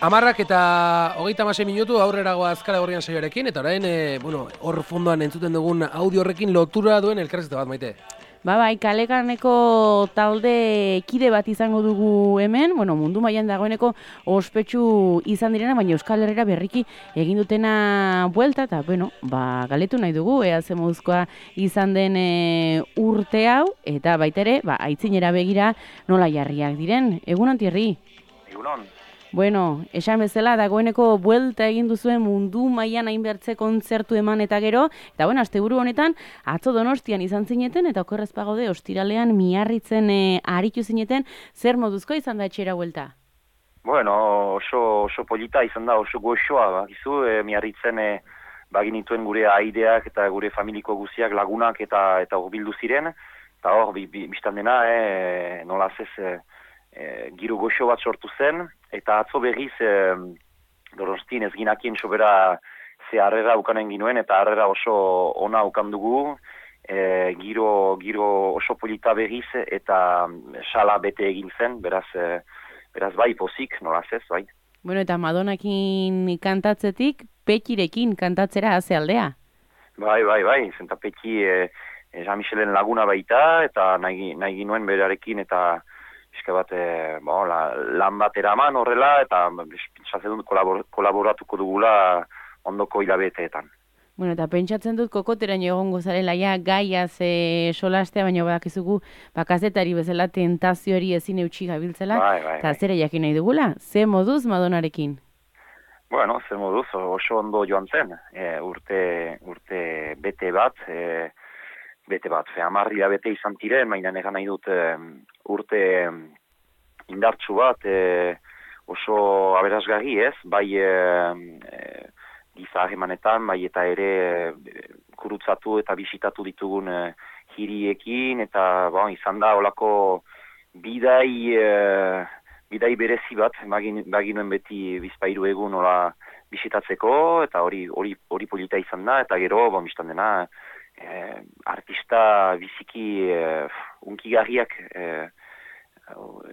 Amarrak eta 36 minutu aurrera goaz Kale Gorrian saioarekin, eta orain, hor fondoan entzuten dugun audio horrekin lotura duen elkarrizketa bat, Maite. Bai, Kalekaneko talde kide bat izango dugu hemen, mundu mailan dagoeneko ospetsu izan direna, baina Euskal Herrira berriki egin dutena buelta, eta, galetu nahi dugu, ea ze moduzkoa izan den urte hau, eta baita ere, aitzinera begira nola jarriak diren. Egunon, Thierry? Egunon. Esan bezala, dagoeneko buelta egin duzuen mundu mailan hainbertze kontzertu eman eta gero, eta asteburu honetan, atzo Donostian izan zineten, eta okerrez pagode, ostiralean Miarritzen aritu zineten, zer moduzko izan da etxera buelta? Oso polita izan da, oso goxoa, bakizu, Miarritzen baginituen gure aideak eta gure familiko guziak lagunak eta hurbildu ziren, eta hor, biztan dena, nolaz ez, giro goxo bat sortu zen, eta atzo berriz Donostin ez ginakien sobera ze harrera ukanen ginuen, eta harrera oso ona ukan dugu, giro oso polita berriz, eta sala bete egin zen, beraz bai pozik, nolaz ez, bai. Eta Madonakin kantatzetik, Petirekin kantatzera haze aldea? Bai, zenta Peti Jean-Michelen laguna baita, eta nahi ginuen berarekin, eta eske bat, lan bat eraman horrela, eta pentsatzen dut kolaboratuko dugula ondoko hilabeteetan. Eta pentsatzen dut kokoteraino egongo zarela ja gaiaz solastea, baina badakizugu kazetari bezala tentazioari ezin eutsi gabiltzela, eta zere jakin nahi dugula, ze moduz Madonarekin? Ze moduz, oso ondo joan zen, urte bete bat, amarria bete izan tiren, baina egan nahi dut urte indartsu bat, oso aberasgarri ez, bai giza harremanetan, bai eta ere kurutzatu eta bisitatu ditugun hiriekin, eta izan da olako bidai berezi bat, baginuen beti bizpairu egun hola bisitatzeko, eta hori polita izan da, eta gero, biztan dena, artista biziki unkigarriak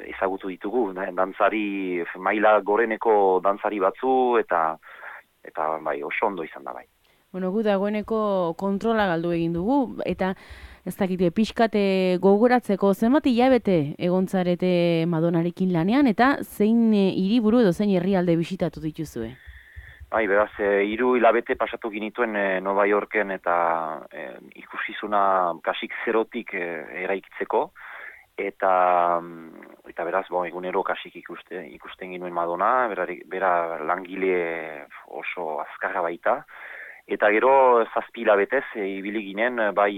ezagutu ditugu, dantzari, maila goreneko dantzari batzu, eta oso ondo izan da bai. Gu dagoeneko kontrola galdu egin dugu, eta ez dakite pixkate gogoratzeko zenbat hilabete egontzarete Madonarekin lanean, eta zein hiriburu edo zein herrialde bisitatu dituzue? Beraz, 3 hilabete pasatu ginituen Nova Yorken eta ikusizuna kasik zerotik eraikitzeko, eta beraz, egunero kasik ikusten ginuen Madonna, bera langile oso azkarra baita, eta gero 7 hilabetez ibili ginen, bai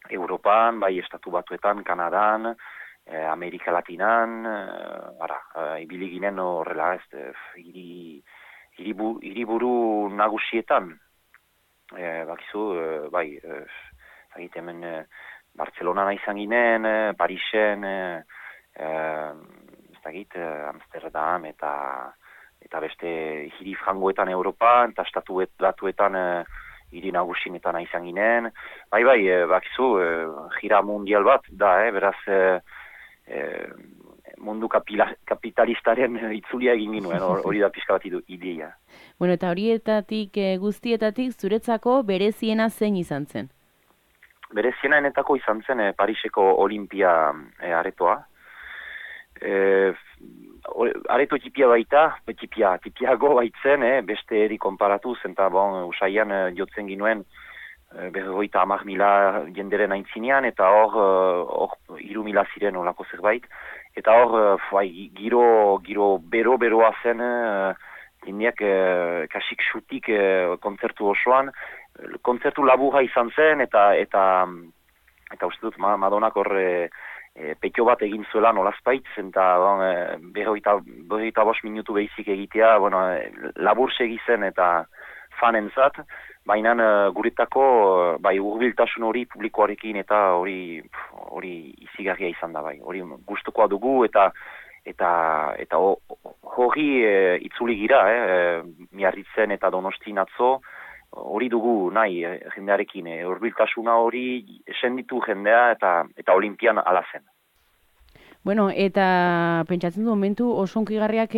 Europan, bai Estatu Batuetan, Kanadan, Amerika Latinan, ibili ginen horrela hiriburu nagusietan, bakizu, hemen Bartzelonan izan ginen, Parisen, Amsterdam, eta beste hiri frangoetan Europan, eta Estatu Batuetan hiri nagusietan izan ginen. Bakizu, gira mundial bat da, beraz, mundu kapitalistaren itzulia egin ginuen, hori da pixka bat ideia. Eta horietatik guztietatik zuretzako bereziena zein izan zen? Bereziena enetako izan zen Pariseko Olimpia aretoa. Areto tipia baita, tipiago baitzen, beste eri konparatuz, eta usaian jotzen ginuen 50.000 jenderen aintzinean, eta hor 3.000 ziren olako zerbait. Eta hor, giro beroa zen, jendeak kasik xutik kontzertu osoan. Kontzertu laburra izan zen, eta uste dut Madonak hor petio bat egin zuela nolazpaitz, eta 45 minutu behizik egitea, labur segi zen eta fanentzat, baina guretako hurbiltasun hori publikoarekin eta hori izigarria izan da bai. Hori gustukoa dugu eta hori itzuli gira, Miarritzen eta Donostin atzo, hori dugu nahi jendearekin, hurbiltasuna hori esenditu jendea eta Olimpian ala zen. Bueno, eta pentsatzen du momentu oso hunkigarriak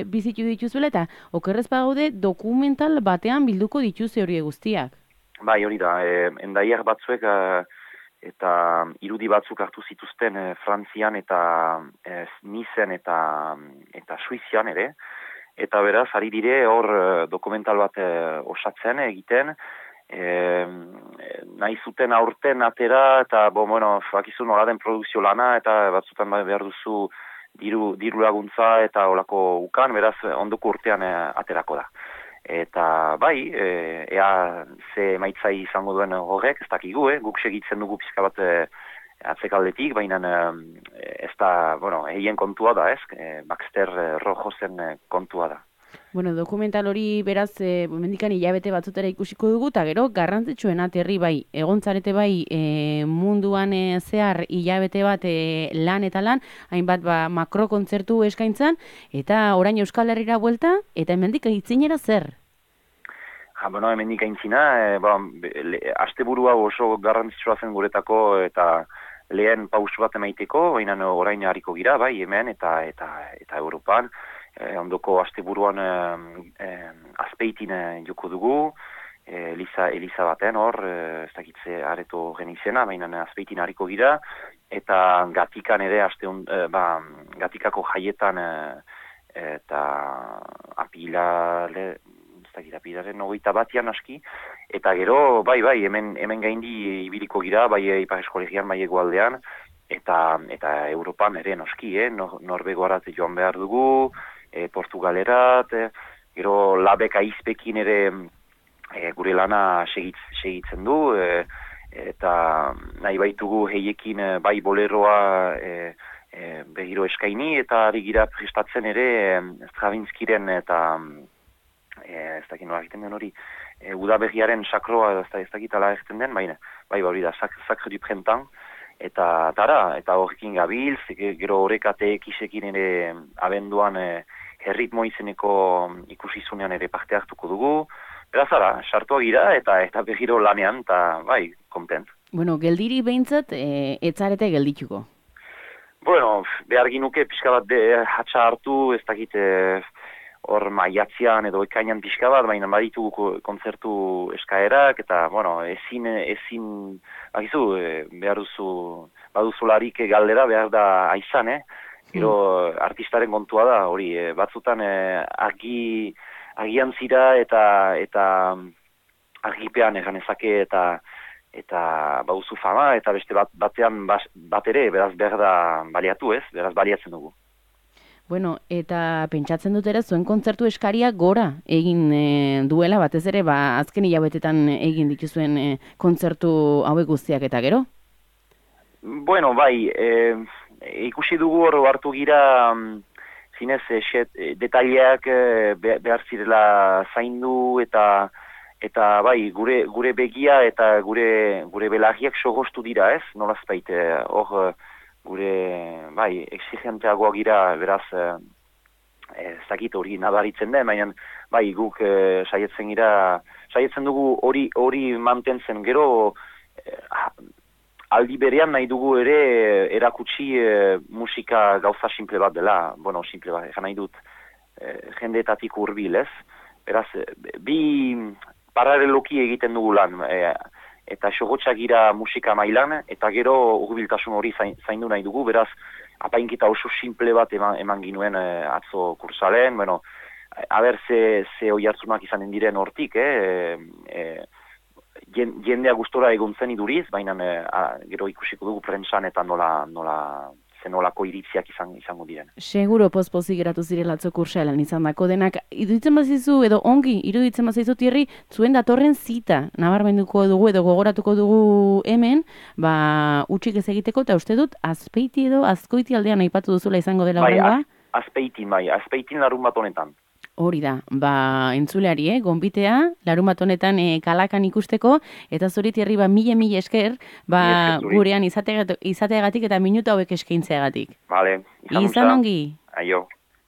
bizitu dituzuela eta okerrez bagaude dokumental batean bilduko dituzte hori guztiak. Bai, hori da, endaiak batzuek eta irudi batzuk hartu zituzten Frantzian eta Nicen eta Suizian ere, eta beraz, ari dire hor dokumental bat osatzen egiten, nahi zuten aurten atera eta bakizu nola den produkzio lana eta batzutan behar duzu diru laguntza eta olako ukan, beraz ondoko urtean aterako da. Eta bai, ea ze maitzai izango duen horrek, ez dakigu, guk segitzen dugu pizka bat atzekaldetik, baina ez da, egin kontua da, Baxter Rojosen kontua da. Bueno, dokumental hori beraz, mendikan hilabete batzutera ikusiko dugu, eta gero garrantzitsuena aterri bai, egontzarete bai munduan zehar hilabete bat lan eta lan, hainbat makrokontzertu eskaintzan, eta orain Euskal Herrira buelta, eta hemendik aitzinera zer? Hemendik aitzina, asteburua oso garrantzitsua zen guretako, eta lehen pausu bat emaiteko, baina orain hariko gira, bai, hemen eta Europan, ondoko asteburuan Azpeitin joko dugu, Eliza baten hor, ez dakitze areto genizena, baina Azpeitin hariko gira, eta Gatikan ere, Gatikako jaietan eta apilaren 21 aski, eta gero, bai, hemen gaindi ibiliko gira, bai Ipar Eskolegian, bai Hegoaldean, eta Europan ere noski, Norvegoarat joan behar dugu, Portugalerat, gero Labek Aizpekin ere gure lana segitzen du, eta nahi baitugu heiekin bai boleroa behiro eskaini, eta ari gira prestatzen ere Stravinskiren eta ez dakit nola egiten den hori, udaberriaren sakroa ez dakit ala egiten den, baina, bai hori da, Sacre du Printemps, eta horrekin gabiltz, gero horrekateek isekin ere abenduan herritmo izeneko ikusizunean ere parte hartuko dugu, beraz ara, sartua gira eta behiro lanean, eta bai, kontent. Bueno, geldiri behintzat, etzarete geldituko? Bueno, behar ginuke pixka bat hatxa hartu, ez dakit hor maiatzean edo ekainan pixka bat, baina baditugu kontzertu eskaerak, eta, ezin, bakizu, behar baduzularik galdera behar da aizan, Gero artistaren kontua da, hori, batzutan agian zira eta argipean egan ezake eta bauzu fama, eta beste batean bat ere, beraz behar da baliatu beraz baliatzen dugu. Bueno, eta pentsatzen dut ere zuen kontzertu eskaria gora egin duela, batez ere, azken hilabetetan egin dituzuen kontzertu hauek guztiak eta gero? Bueno, bai, ikusi dugu hor hartu gira zinez detaileak behar zirela zaindu eta bai, gure begia eta gure belarriak sogostu dira, nolazpait, hor gure, bai, exigenteagoa gira, beraz, ez dakit hori nabaritzen den, baina, bai, guk saietzen dugu hori mantentzen gero, aldi berean nahi dugu ere erakutsi musika gauza simple bat dela, simple bat, egan nahi dut, jendeetatik hurbil, beraz, bi paraleloki egiten dugu lan, eta xogotxak gira musika mailan, eta gero hurbiltasun hori zaindu nahi dugu, beraz, apainkita oso simple bat eman ginuen atzo kursalen, haber ze oi hartzunak izanen diren hortik, jendea gustora egontzen iduriz, baina gero ikusiko dugu prentsan eta nolako iritziak izango diren. Seguro pozpozik geratu zirela atzo kursalan izan dako denak. Iruditzen bazizu edo ongi, iruditzen bazizu Tierri, zuen datorren zita nabarmenduko dugu edo gogoratuko dugu hemen, utxik ez egiteko, eta uste dut Azpeiti edo Azkoiti aldean aipatu duzula izango dela horrengoa? Azpeitin larun bat honetan. Hori da, entzuleari, gonbitea, larun bat honetan kalakan ikusteko, eta zuri Tierri mila esker, gurean izateagatik eta minutu hauek eskaintzeagatik. Vale, izan ongi. Aio.